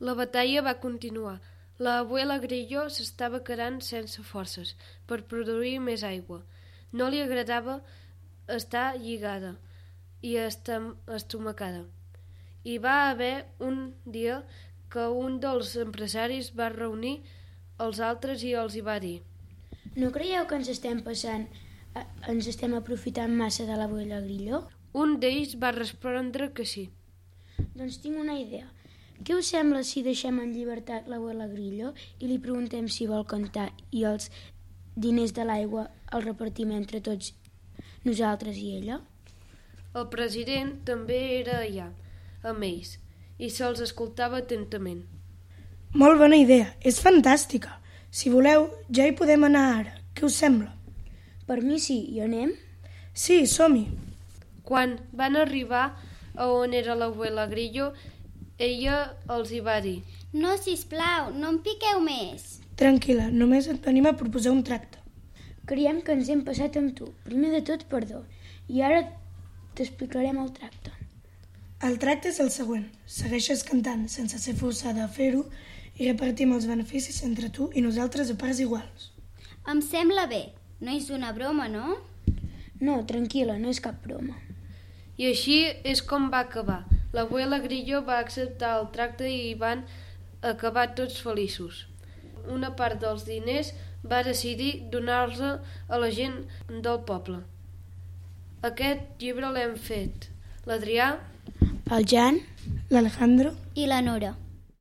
La batalla va continuar. L'abuela Grillo s'estava quedant sense forces per produir més aigua. No li agradava estar lligada i estomacada. Hi va haver un dia que un dels empresaris va reunir els altres i els hi va dir: No creieu que ens estem aprofitant massa de l'abuela Grillo? Un d'ells va respondre que sí. Doncs tinc una idea. Què us sembla si deixem en llibertat l'abuela Grillo i li preguntem si vol cantar i els diners de l'aigua els repartim entre tots nosaltres i ella? El president també era allà, amb ells, i se'ls escoltava atentament. Molt bona idea, és fantàstica. Si voleu, ja hi podem anar ara. Què us sembla? Per mi sí, hi anem? Sí, som-hi. Quan van arribar a on era l'abuela Grillo, ella els hi va dir: No, sisplau, no em piqueu més. Tranquil·la, només et venim a proposar un tracte. Creiem que ens hem passat amb tu. Primer de tot, perdó. I ara t'explicarem el tracte. El tracte és el següent. Segueixes cantant sense ser forçada a fer-ho i repartim els beneficis entre tu i nosaltres a parts iguals. Em sembla bé. No és una broma, no? No, tranquil·la, no és cap broma. I així és com va acabar. L'abuela Grillo va acceptar el tracte i van acabar tots feliços. Una part dels diners va decidir donar-los a la gent del poble. Aquest llibre l'hem fet l'Adrià, El Jan, l'Alejandro I la Nora.